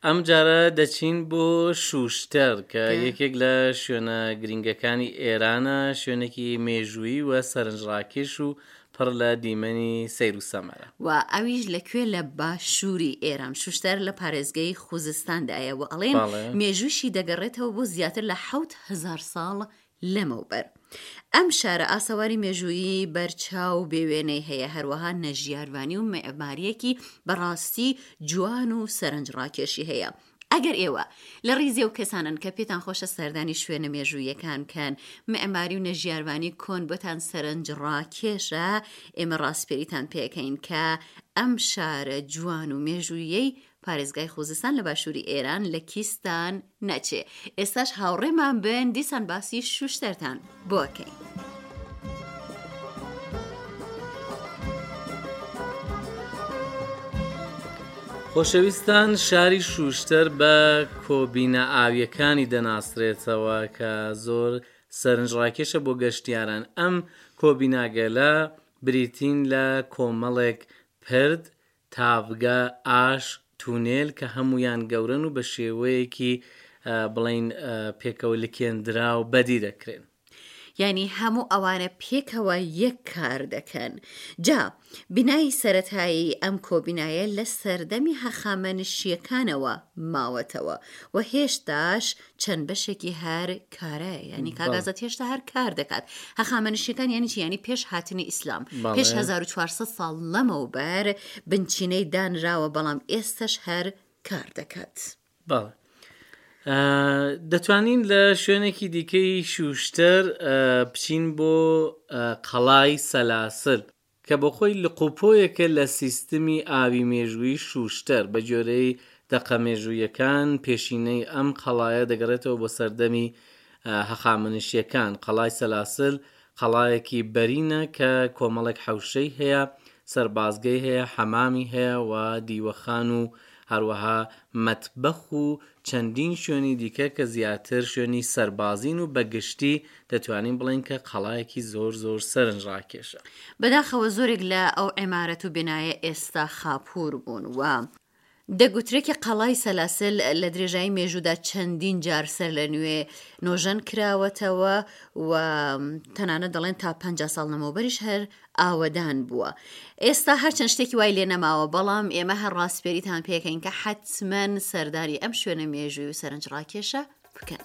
ئەم جارە دەچین بۆ شوشتەر کە یەکێک لە شوێنە گرینگەکانی ئێرانە، شوێنێکی مێژوویی و سەرنجڕاکێش و پڕ لە دیمەنی سەیر و سەمەرە. و ئەویش لە کوێ لە باشووری ئێران، شوشتەر لە پارێزگەی خوزستاندایە و ئەڵێن مێژووشی دەگەڕێتەوە بۆ زیاتر لە 7000 ساڵ لەمەوبەر. ئەم شارە ئاسەواری مێژوویی بەرچاو و بێوێنەی هەیە، هەروەها نەژیارڤانی و مێعمارییەکی بەڕاستی جوان و سەرنجڕاکێشی هەیە. ئەگەر ئێوە لە ڕیزی ئەو کەسانەن کە پێتان خۆشە سەردانی شوێنە مێژووییەکان بکەن، مێعماری و نەژیارڤانی کۆن بۆتان سەرنجڕاکێشە، ئێمە ڕاسپێریتان پێ ئەکەین کە ئەم شارە جوان و مێژووییەی پارێزگای خوزستان لە باشووری ئێران لە کیستان نەچێ. ئێستاش هاوڕێمان بن دیسان باسی شوشتەرتان بۆ ئەکەین. خۆشەویستان شاری شوشتەر بە کۆبینە ئاویەکانی دەناسرێتەوە کە زۆر سەرنجڕاکێشە بۆ گەشتیاران ئەم کۆبیناگەلە بریتین لە کۆمەڵێک پرد تاڤگە، ئاش، تونێل کە هەموویان گەورەن و بە شێوەیەکی بڵێین پێکەوە لکێندراو بەدی دەکرێن. یانی هەموو ئەوانە پێکەوە یەک کار دەکەن. جا بینای سەرەتایی ئەم کۆبینایە لە سەردەمی هەخامەنشییەکانەوە ماوەتەوە و هێشتاش چەند بەشێکی هەر کارایە یانی کاک ئازاد هێشتا هەر کار دەکات هەخامەنشیەکان یانی چی یانی پێش هاتنی ئیسلام پێش 1400 ساڵ لەمەوبەر بنچینەی دانراوە بەڵام ئێستش هەر کار دەکات. بەڵێ دەتوانین لە شوێنێکی دیکەی شوشتەر بچین بۆ قەڵای سەلاسل کە بۆخۆی لقوپۆیەکە لە سیستمی ئاوی مێژوویی شووشتەر، بە گوێرەی دەقە مێژووییەکان پێشینەی ئەم قەڵایە دەگەڕێتەوە بۆ سەردەمی هەخامەنشییەکان، قەڵای سەلاسل قەڵایەکی بەرینە کە کۆمەڵێک حەوشەی هەیە، سەربازگەی هەیە، حەمامی هەیە و دیوەخان و هەروەها مەتبەخ و چەندین شوێنی دیکە کە زیاتر شوێنی سەربازین و بە گشتی دەتوانین بڵێین کە قەڵایەکی زۆر زۆر سەرنجڕاکێشە. بەداخەوە زۆرێک لە ئەو عیمارەت و بینایە ئێستا خاپوور بوون و دەگوترێ کە قەڵای سەلاسل لە درێژایی مێژوودا چەندین جار سەرلەنوێ نۆژەن کراوەتەوە و تەنانەت دەڵێن تا 50 ساڵ لەمەوبەریش هەر ئاوەدان بووە. ئێستا هەرچەند شتێکی وای لێ نەماوە بەڵام ئێمە هەر ڕاسپێریتان پێکەین کە حەتمەن سەردانی ئەم شوێنە مێژووی و سەرنجڕاکێشە بکەن.